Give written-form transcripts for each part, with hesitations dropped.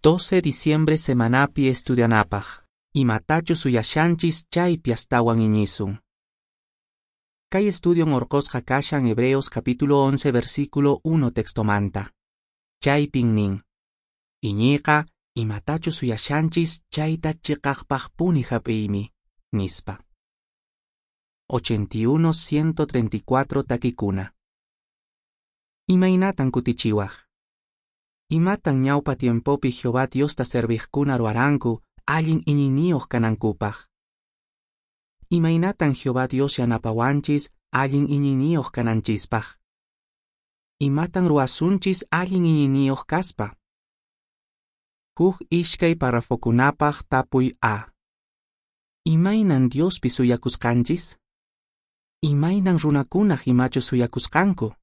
12 diciembre semanapi estudianapaq. Imatachu suyashanchis chaypi astawan iñisun. Kay estudion orqosqa kashan Hebreos capítulo 11 versículo 1 textomanta. Chaypin nin: Iñiyqa imatachu suyashanchis chayta chiqaqpaqpuni hap'iymi, nispa. 81 134 takikuna. Imaynatan kutichiwaq? Imatan ñawpa tiempopi Jehová Diosta serviqkuna ruwaranku allin iñiyniyuq kanankupaq? Imaynatan Jehová Dios yanapawanchis allin iñiyniyuq kananchispaq? Imatan ruwasunchis allin iñiyniyuq kaspa? Huk iskay parrafokunapaq tapuy A. Imaynan Diospi suyakusqanchis? Imaynan runakunaq imachus suyakusqanku?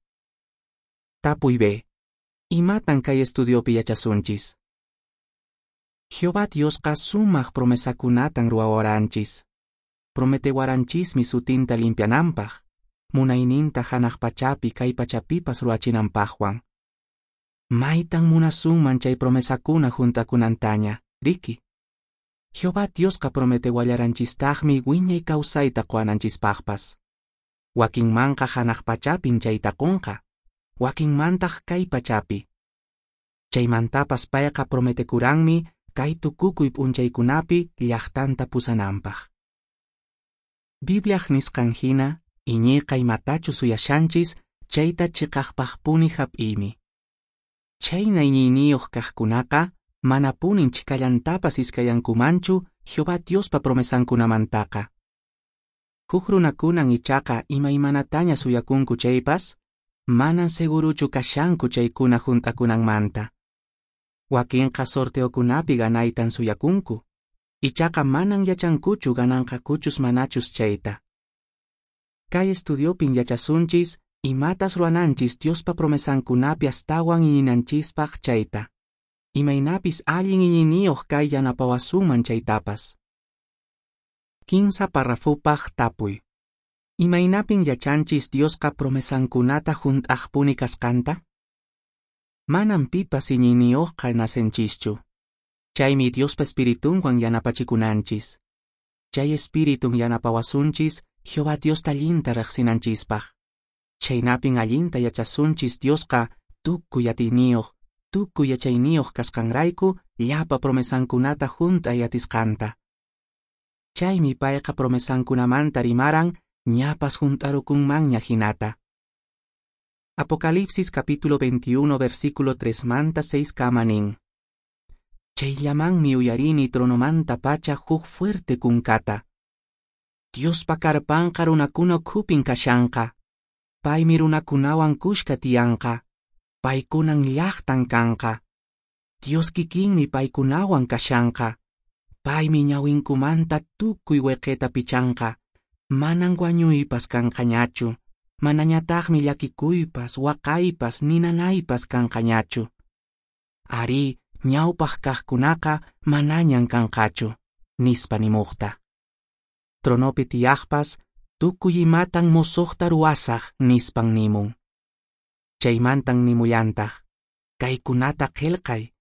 Tapuy B. Imatan kay estudiopi yachasunchis? Jehová Diosqa sumaq promesakunatan ruwawaranchis. Prometewaranchismi sutinta limpiananpaq, munayninta hanaq pachapi kay pachapipas ruwachinanpaqwan. Maytan munasunman chay promesakuna hunt'akunantaña, riki? Jehová Diosqa prometewallaranchistaqmi wiñay kawsayta quwananchispaqpas. Wakinmanqa hanaq pachapin chayta qunqa, wakinmantaq kay pachapi. Chaymantapas payqa prometekuranmi kay tukukuy p'unchaykunapi llaqtanta pusananpaq. Bibliaq nisqan hina, iñiyqa imatachu suyashanchis chayta chiqaqpaqpuni hap'iymi. Chhayna iñiyniyuq kaqkunaqa manapunin chhikallantapas iskayankumanchu Jehová Diospa promesankunamantaqa. Huk runakunan ichaqa imaymanataña suyakunku chaypas, manan seguruchu kashanku chaykuna hunt'akunanmanta. Wakinqa sorteokunapi ganaytan suyakunku, ichaqa manan yachankuchu gananqakuchus manachus chayta. Kay estudiopin yachasunchis imatas ruwananchis Diospa promesankunapi astawan iñinanchispaq chayta. Imaynapis allin iñiyniyuq kay yanapawasunman chaytapas. Kinsa parrafupaq tapuy. Imaynapin yachanchis Diosqa promesankunata hunt'aqpuni kasqanta? Manan pipas iñiyniyuqqa nacenchischu. Chaymi Diospa espiritunwan yanapachikunanchis. Chay espiritun yanapawasunchis Jehová Diosta allinta riqsinanchispaq. Chhaynapin allinta yachasunchis Diosqa tukuy atiyniyuq, tukuy yachayniyuq kasqanrayku llapa promesankunata hunt'ay atisqanta. Chaymi payqa promesankunamanta rimaran ñapas hunt'arukunmanña hinata. Apocalipsis capítulo 21 versículo 3 manta 6 kama nin: Chayllamanmi uyarini tronomanta pacha huk fuerte kunkata. Diospa karpanqa runakuna ukhupin kashanqa. Paymi runakunawan kushka tiyanqa. Paykunan llaqtan kanqa. Dios kikinmi paykunawan kashanqa. Paymi ñawinkumanta tukuy weqeta pichanqa. Manan wañuypas kanqañachu. Manañataqmi llakikuypas, waqaypas, ninanaypas kanqañachu. Arí, ñawpaq kaqkunaqa manañan kanqachu, nispa nimuqta. Tronopi tiyaqpas, tukuy imatan mosoqta ruwasaq, nispan nimun. Chaymantan nimullantaq, kaykunata qillqay,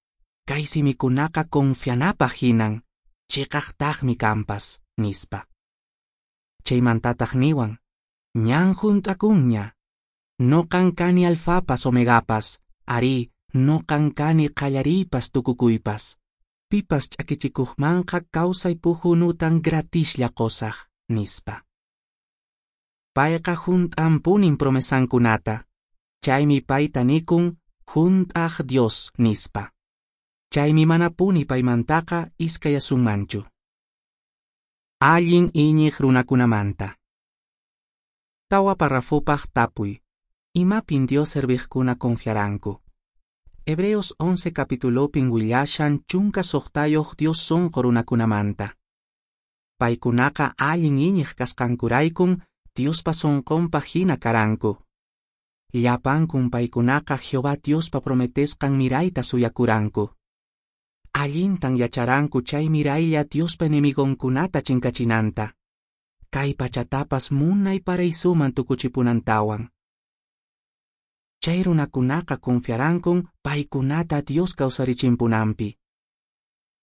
kay simikunaqa confianapaq hinan, chiqaqtaqmi kanpas, nispa. Chaymantataq niwan, ñan hunt'akunña. Noqan kani alfapas omegapas, arí, noqan kani qallariypas tukukuypas. Pipas ch'akichikuqmanqa kawsay puhunutan gratislla qusaq, nispa. Payqa hunt'anpunin promesankunata. Chaymi payta nikun hunt'aq Dios, nispa. Chaymi manapuni paymantaqa iskayasunmanchu. Allin iñiq runakunamanta. Tawa parrafupaq tapuy. Imapin Dios serviqkuna confiaranku? Hebreos 11 capitulopin willashan 16 Dios sonqo runakunamanta. Paykunaqa allin iñiq kasqankuraykun Diospa sonqonpaq hina karanku. Llapankun paykunaqa Jehová Diospa prometesqan mirayta suyakuranku. Allintan yacharanku chay miraylla Diospa enemigonkunata chinkachinanta. Kay pachatapas munay paraisuman tukuchipunantawan. Chay runakunaqa confiarankun paykunata Dios kawsarichimpunanpi.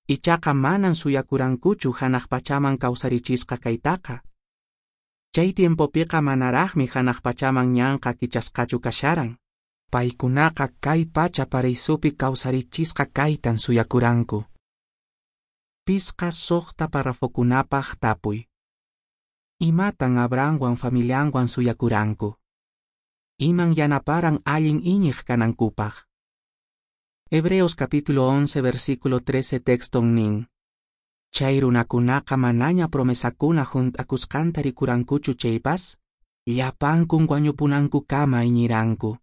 Ichaqa manan suyakurankuchu janaq pachaman kausarichisqa kaytaqa. Chay tiempopiqa manaraqmi janaq pachaman ñanqa kichasqachu kasharan. Paykunaqa kay pacha paraisopi kausarichisqa kaytan suyakuranku. 5-6 parrafokunapaq tapuy. Imatan Abrahamwan familianwan suyakuranku? Iman yanaparan allin iñiq kanankupaq? Hebreos capítulo 11 versículo 13 texton nin. Chay runakunaqa manaña promesakuna hunt'akusqanta rikurankuchu chaypas, llapankun wañupunankukama iñiranku.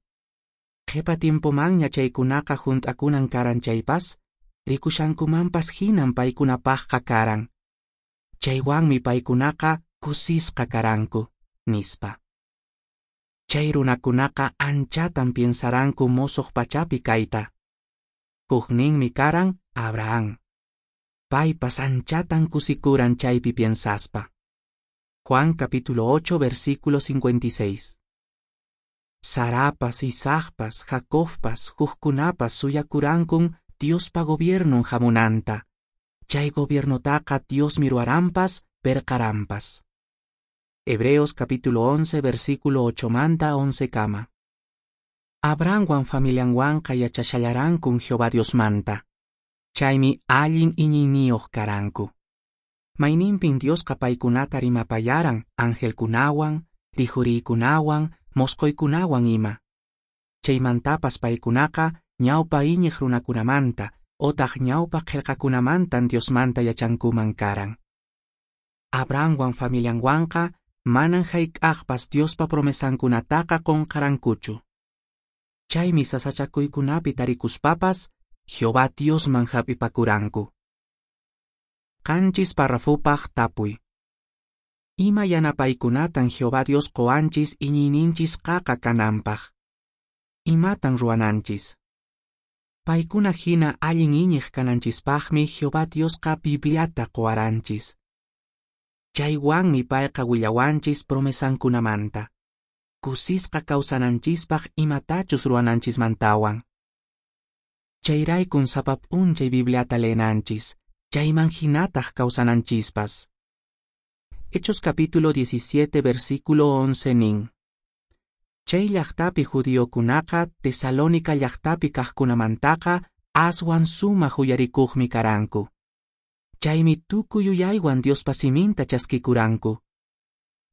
Qhipa tiempomanña chaykunaqa hunt'akunan karan chaypas, rikushankumanpas hinan paykunapaqqa karan. Chaywanmi paykunaqa kusisqa karanku, nispa. Chay runakunaqa anchatan piensaranku mosoq pachapi kayta. Hukninmi karan Abraham. Paypas anchatan kusikuran chaypi piensaspa. Juan capítulo 8 versículo 56. Sarapas, Isaacpas, Jacobpas, hukkunapas suyakurankun Diospa gobiernon hamunanta. Chay gobiernotaqa Diosmi ruwaranpas, perqaranpas. Hebreos capítulo 11 versículo 8 manta 11 kama. Abrahamwan familianwanqa yachashallarankun Jehová Diosmanta. Chaymi allin iñiyniyuq karanku. Mayninpin Diosqa paykunata rimapayaran angelkunawan, rijuriykunawan, mosqoykunawan ima. Chaymantapas paykunaqa ñawpa iñiq runakunamanta otaq ñawpa qillqakunamantan Diosmanta yachankuman karan. Abrahamwan familianwanqa manan hayk'aqpas Diospa promesankunataqa qunqarankuchu. Chaymi sasachakuykunapi tarikuspapas Jehová Diosman hap'ipakuranku. 7 parrafopaq tapuy. Ima yanapaykunatan Jehová Dios qowanchis iñiyninchis qaqa kananpaq? Imatan ruwananchis? Paykuna hina allin iñiq kananchispaqmi Jehová Diosqa Bibliata qowaranchis. Chaywanmi payqa willawanchis promesankunamanta. Kusisqa kawsananchispaq imatachus ruwananchismantawan. Chayraykun sapa p'unchay Bibliata leenanchis, chayman hinataq kawsananchispas. Hechos capítulo 17 versículo 11 nin. Chay llaqtapi judiokunaqa Tesalónica llaqtapi kaqkunamantaqa aswan sumaq uyarikuqmi karanku. Chaymi tukuy yuyaywan Diospa siminta chaskikuranku.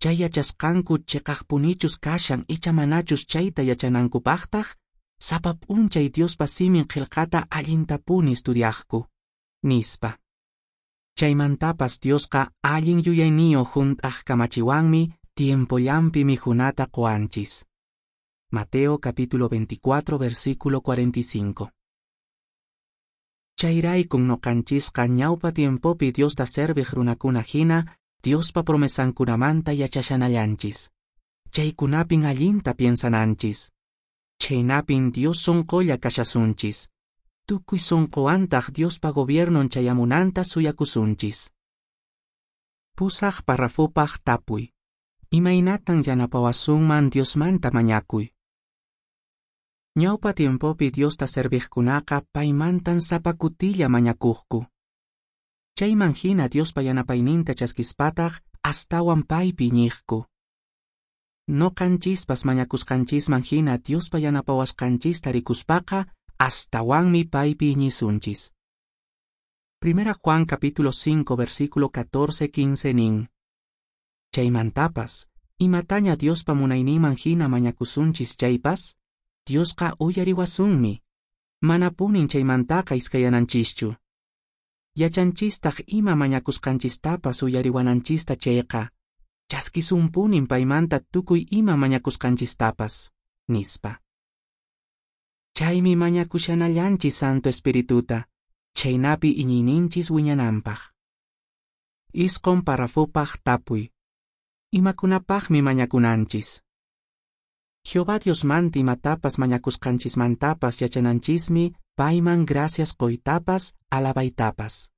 Chay yachasqanku chiqaqpunichus kashan icha manachus chayta yachanankupaqtaq, sapa p'unchay Diospa simin qillqata allintapuni estudiaqku, nispa. Chaymantapas Diosqa allin yuyayniyuq hunt'aq kamachiwanmi tiempollanpi mikhunata qowanchis. Mateo capítulo 24 versículo 45. Chayraykun noqanchisqa ñawpa tiempopi Diosta serviq runakuna hina Diospa promesankunamanta yachashanallanchis. Chaykunapin allinta piensananchis. Chhaynapin Dios sonqolla kashasunchis. Tukuy sonqowantaq Diospa gobiernon chayamunanta suyakusunchis. 8 parrafopaq tapuy. Imaynatan yanapawasunman Diosmanta mañakuy? Ñawpa tiempopi Diosta serviqkunaqa paymantan sapa kutilla mañakuqku. Chayman hina Diospa yanapayninta chaskispataq astawan paypi iñiqku. Noqanchispas mañakusqanchisman hina Diospa yanapawasqanchista rikuspaqa astawanmi paypi iñisunchis. Primera Juan capítulo 5 versículo 14-15 nin. Chaymantapas, imataña Diospa munayninman hina mañakusunchis chaypas, Diosqa uyariwasunmi. Manapunin chaymantaqa iskayananchischu. Yachanchistaq ima mañakusqanchistapas uyariwananchista chayqa, chaskisunpunin paymanta tukuy ima mañakusqanchistapas, nispa. Chaymi mañakushanallanchis Santo Espirituta, chaynapi iñiyninchis wiñananpaq. 9 parrafopaq tapuy. Imakunapaqmi mañakunanchis? Jehová Diosmanta imatapas mañakusqanchismantapas yachananchismi payman gracias qoytapas alabaytapas.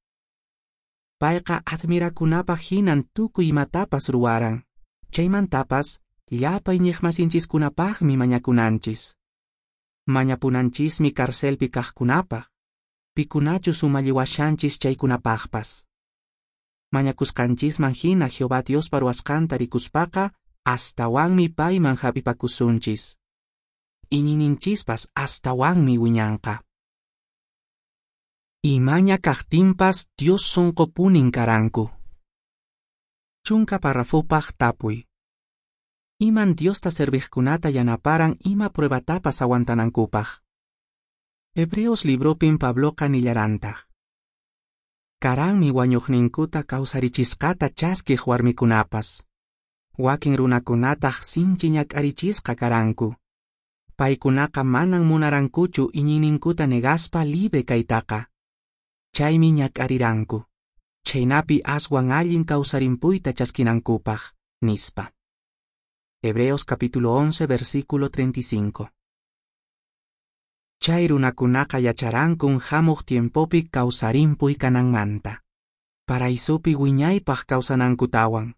Payqa admirakunapaq hinan tukuy imatapas ruwaran. Chaymantapas llapa iñiqmasinchiskunapaqmi mañakunanchis. Mañapunanchismi carcelpi kaqkunapaq. pikunachus umalliwashanchis chaykunapaqpas. Mañakusqanchisman hina Jehová Diospa ruwasqanta rikuspaqa astawanmi payman hap'ipakusunchis. Iñiyninchispas astawanmi wiñanqa. Imaña kaqtinpas Dios sonqopunin karanku. Chunka parrafopaq tapuy. Iman Diosta serviqkunata yanaparan ima pruebatapas aguantanankupaq. Hebreos libropin Pabloqa nillarantaq. Karanmi wañuqninkuta kawsarichisqata chaskiq warmikunapas. Wakin runakunataq sinchi ñak'arichisqa karanku. Paykunaqa manan munarankuchu iñiyninkuta negaspa libre kaytaqa. Chaymi ñak'ariranku. Chhaynapi aswan allin kawsarimpuyta chaskinankupaq, nispa. Hebreos capítulo 11, versículo 35. Chay runakunaqa yacharankun hamuq tiempopi kawsarimpuy kananmanta. Paraisupi wiñaypaq kawsanankutawan.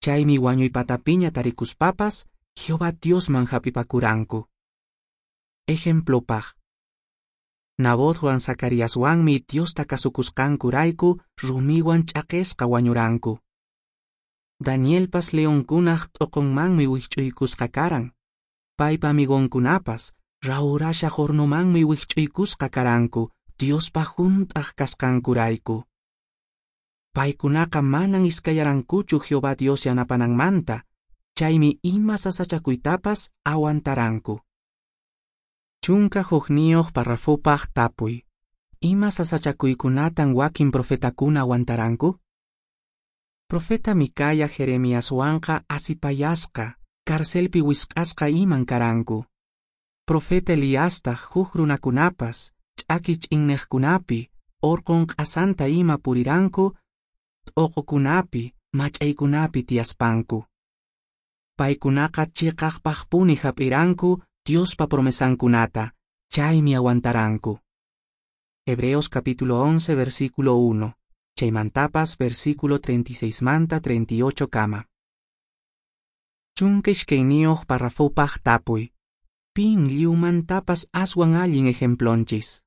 Chaymi wañuypatapiña tarikuspapas Jehová Diosman hap'ipakuranku. Ejemplopaq. Nabotwan Zacariaswanmi Diosta kasukusqankurayku rumiwan ch'aqesqa wañuranku. Danielpas leonkunaq t'oqonmanmi wikch'uykusqa karan. Paypa amigonkunapas rawrashaq hornomanmi wikch'uykusqa karanku Diospa hunt'aq kasqankurayku. Paykunaqa manan iskayarankuchu Jehová Dios yanapananmanta, chaymi ima sasachakuytapas aguantaranku. 11 parrafopaq tapuy. Ima sasachakuykunatan wakin profetakuna aguantaranku? Profeta Micaya Jeremiaswanqa asipayasqa, carcelpi wisq'asqa iman karanku. Profeta Eliastaq huk runakunapas, ch'aki ch'inneqkunapi, orqon q'asanta ima puriranku, t'oqokunapi, mach'aykunapi tiyaspanku. Paykunaqa chiqaqpaqpuni hap'iranku Diospa promesankunata, chaymi aguantaranku. Hebreos capítulo 11, versículo 1, chaymantapas versículo 36 manta 38 kama. 12 parrafopaq tapuy. Pin lliwmantapas aswan allin ejemplonchis.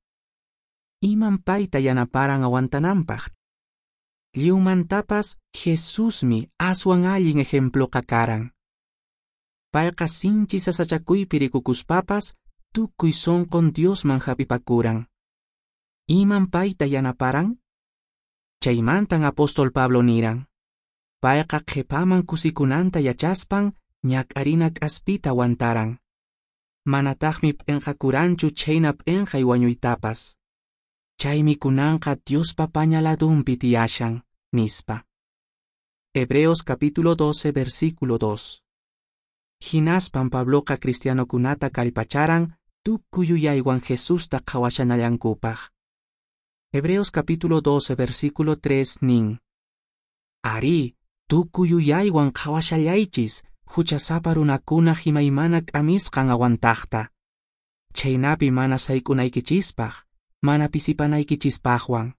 Iman payta yanaparan aguantananpaq. Lliwmantapas Jesusmi aswan allin ejemploqa karan. Payqa sinchi sasachakuypi rikukuspapas tukuy sonqon Diosman hap'ipakuran. Iman payta yanaparan? Chaymantan apóstol Pablo niran. Payqa qhipaman kusikunanta yachaspan ñak'arina k'aspita aguantaran. Manataqmi p'inqakuranchu chhayna p'inqay wañuytapas. Chaymi kunanqa Diospa paña ladunpi tiyashan, nispa. Hebreos capítulo 12, versículo 2. Hinaspan Pabloqa cristianokunata kallpacharan tukuy yuyaywan Jesusta qhawashanallankupaq. Hebreos capítulo 12, versículo 3 nin. Ari, tukuy yuyaywan qhawashallaychis, huchasapa runakunaq imaymana k'amisqan aguantaqta. Chhaynapi mana sayk'unaykichispaq, mana pisipanaykichispaqwan.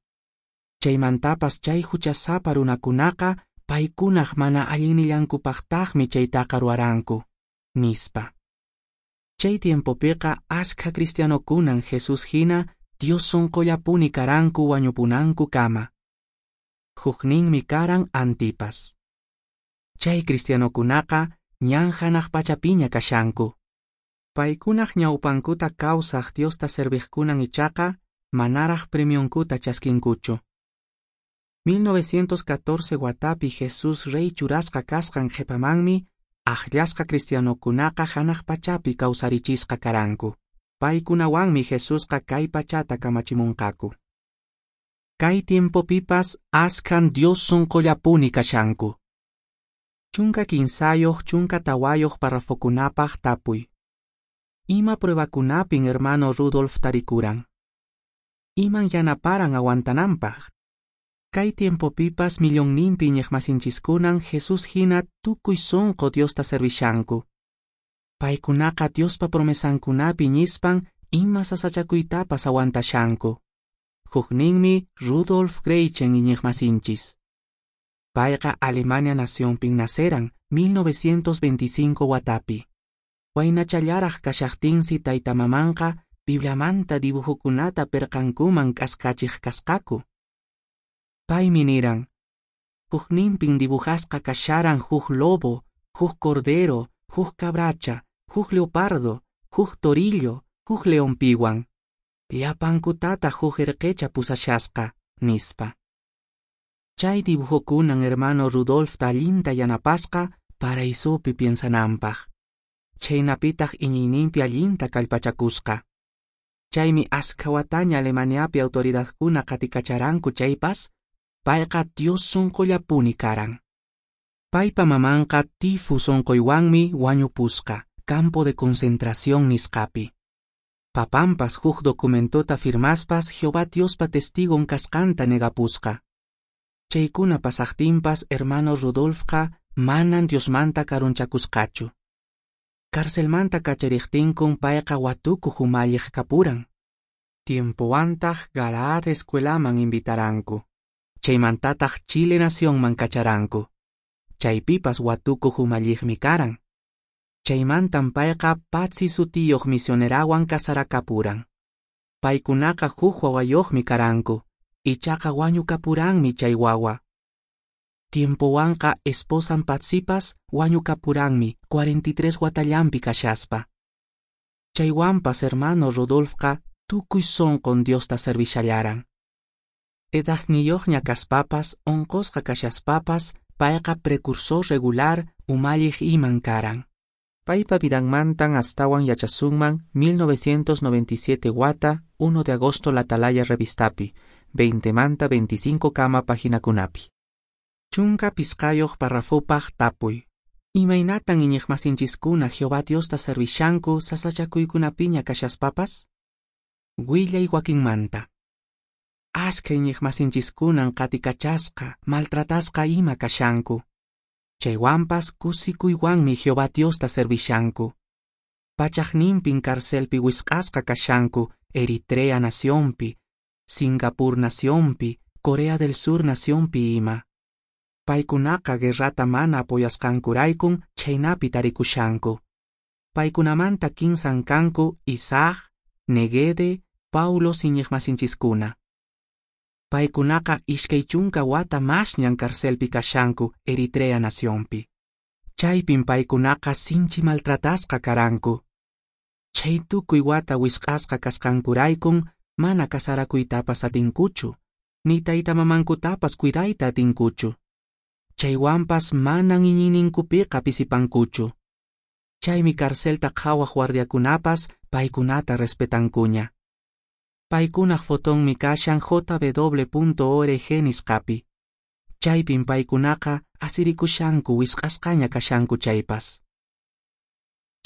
Chaymantapas chay huchasapa runakunaqa paykunaq mana allinnillankupaqtaqmi chaytaqa ruwaranku, nispa. Chay tiempopiqa askha cristianokunan Jesús hina Dios sonqollapuni karanku wañupunanku kama. Hukninmi karan Antipas. Chay cristianokunaqa ñan hanaq pachapiña kashanku. Paykunaq ñawpankuta kawsaq Diosta serviqkunan ichaqa manaraq premionkuta chaskinkuchu. 1914 watapi Jesús rey churasqa kasqan qhipamanmi akllasqa cristianokunaqa hanaq pachapi kawsarichisqa karanku. Paykunawanmi Jesusqa kay pachata kamachimunqaku. Kay tiempopipas askhan Dios sonqollapuni kashanku. 13 14 parrafokunapaq tapuy. Ima pruebakunapin hermano Rudolf tarikuran? Iman yanaparan aguantananpaq? Kay tiempopipas millonninpi iñiqmasinchiskunan Jesús hina tukuy sonqo Diosta servishanku. Paykunaqa Diospa promesankunapi iñispan ima sasachakuytapas aguantashanku. Hukninmi Rudolf Graichen iñiqmasinchis. Payqa Alemania nacionpin naceran 1925 watapi. Waynachallaraq kashaqtinsi tayta mamanqa Bibliamanta dibujokunata perqankuman k'askachiq kasqaku. Paymi niran: Hukninpin dibujasqa kasharan huk lobo, huk cordero, huk cabracha, huk leopardo, huk torillo, huk leonpiwan. Llapankutataq huk erqecha pusashasqa, nispa. Chay dibujokunan hermano Rudolfta allinta yanapasqa paraisopi piensananpaq. Chhaynapitaq iñiyninpi allinta kallpachakusqa. Chaymi askha wataña Alemaniapi autoridadkuna qatikacharanku chaypas, payqa Dios sonqollapuni karan. Paypa mamanqa tifus onqoywanmi wañupusqa campo de concentración nisqapi. Papanpas huk documentota firmaspas Jehová Diospa testigon kasqanta negapusqa. Chaykuna pasaqtinpas hermano Rudolfqa manan Diosmanta karunchakusqachu. Carcelmanta kachariqtinkun payqa watukuq umalliq kapuran. Tiempowantaq Galaad escuelaman invitaranku. Chaymantataq Chile nacionman kacharanku. Chaypipas watukuq umalliqmi karan. Chaymantan payqa Patsy sutiyuq misionerawan casarakapuran. Paykunaqa huk wawayuqmi karanku, ichaqa wañukapuranmi chay wawa. Tiempowanqa esposan Patsypas wañukapuranmi 43 watallanpi kashaspa. Chaywanpas hermano Rudolfqa tukuy sonqon Diosta servishallaran. Edadniyuqña kaspapas, onqosqa kashaspapas, payqa precursor regular umalliq iman karan. Paypa vidanmantan astawan yachasunman 1997 wata 1 de agosto La Atalaya revistapi, 20 manta 25 kama paginakunapi. 15 parrafopaq tapuy. Imaynatan iñiqmasinchiskuna Jehová Diosta servishanku sasachakuykunapiña kashaspapas? Willay wakinmanta. Askha iñiqmasinchiskunan qatikachasqa, maltratasqa ima kashanku. Chaywanpas kusikuywanmi Jehová Diosta servishanku. Pachaqninpin carcelpi wisq'asqa kashanku Eritrea nacionpi, Singapur nacionpi, Corea del Sur nacionpi ima. Paykunaqa guerrata mana apoyasqankuraykun chhaynapi tarikushanku. Paykunamanta kinsan kanku Isaac, Negede, Paulo iñiqmasinchiskuna. Paykunaqa 20 wata masñan carcelpi kashanku Eritrea nacionpi. Chaypin paykunaqa sinchi maltratasqa karanku. Chay tukuy wata wisq'asqa kasqankuraykun mana casarakuytapas atinkuchu, ni tayta mamankutapas cuidayta atinkuchu. Chaywanpas manan iñiyninkupiqa pisipankuchu. Chaymi carcelta qhawaq guardiakunapas paykunata respetankuña. Paykunaq fotonmi kashan jw.org nisqapi. Chaypin paykunaqa asirikushanku wisq'asqaña kashanku chaypas.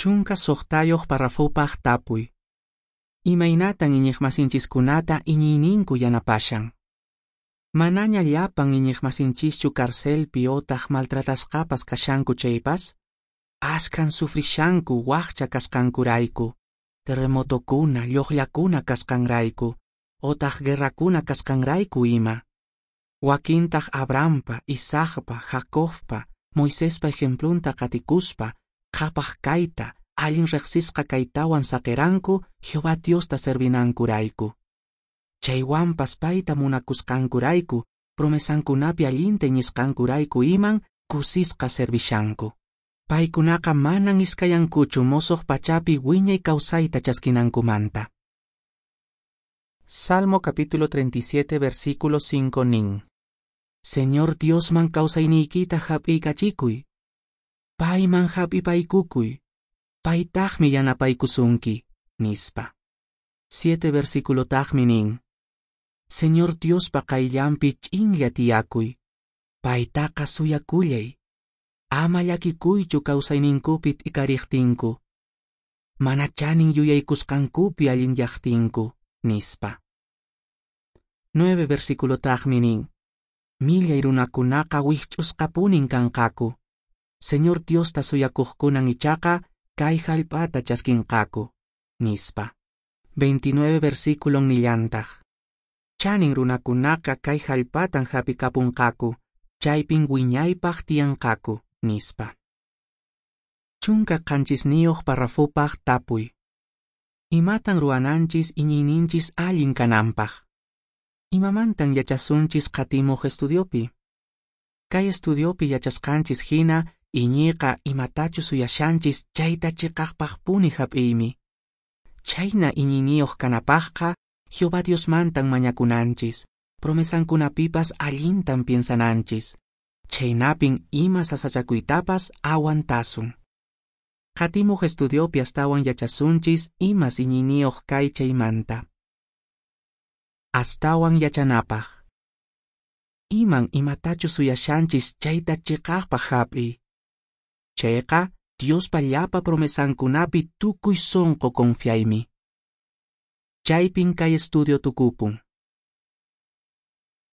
16 parrafopaq tapuy. Imaynatan iñiqmasinchiskunata iñiyninku yanapashan? Manaña llapan iñiqmasinchischu carcelpi otaq maltratasqapas kashanku chaypas, askhan sufrishanku waqcha kasqankurayku, terremotokuna, lluqllakuna kasqanrayku, otaq guerrakuna kasqanrayku ima. Wakintaq Abrahampa, Isaacpa, Jacobpa, Moisespa ejemplunta qatikuspa, qhapaq kayta, allin riqsisqa kaytawan saqiranku Jehová Diosta servinankurayku. Chaywanpas payta munakusqankurayku, promesankunapi allinta iñisqankurayku iman kusisqa servishanku. Paykunaqa manan iskayankuchu mosoq pachapi wiñay kawsayta chaskinankumanta. Salmo capítulo 37 versículo 5 nin. Señor Diosman kawsayniykita hap'iykachikuy. Payman hap'ipaykukuy. Paytaqmi yanapaykusunki, nispa. 7 versículo taqmi nin. Señor Diospa qayllanpi ch'inlla tiyakuy. Paytaqa suyakullay. Ama llakikuychu kawsayninkupi t'ikariqtinku. Mana chanin yuyaykusqankupi allinyaqtinku, nispa. 9 versículo taqmi nin. Millay runakunaqa wikch'usqapunin kanqaku. Señor Diosta suyakuqkunan ichaqa kay hallp'ata chaskinqaku, nispa. 29 versículo nillantaq. Chanin runakunaqa kay hallp'atan hap'ikapunqaku, chaypin wiñaypaq tiyanqaku, nispa. 17 parrafopaq tapuy. Imatan ruwananchis iñiyninchis allin kananpaq? Imamantan yachasunchis qatimuq estudiopi? Kay estudiopi yachasqanchis hina, iñiyqa imatachus suyashanchis chayta cheqaqpaqpuni hap'iymi. Chhayna iñiyniyoq kanapaqqa, Jehová Diosmantan mañakunanchis, promesankunapipas allintan piensananchis. Chhaynapin ima sasachakuytapas aguantasun. Qatimuq estudiopi astawan yachasunchis imas iñiyniyoq kay chaymanta. Astawan yachanapaq. Iman imatachus suyashanchis chayta cheqaqpaq hap'iy. Chayqa Diospa llapa promesankunapi tukuy sonqo confiaymi. Chaypin kay estudio tukupun.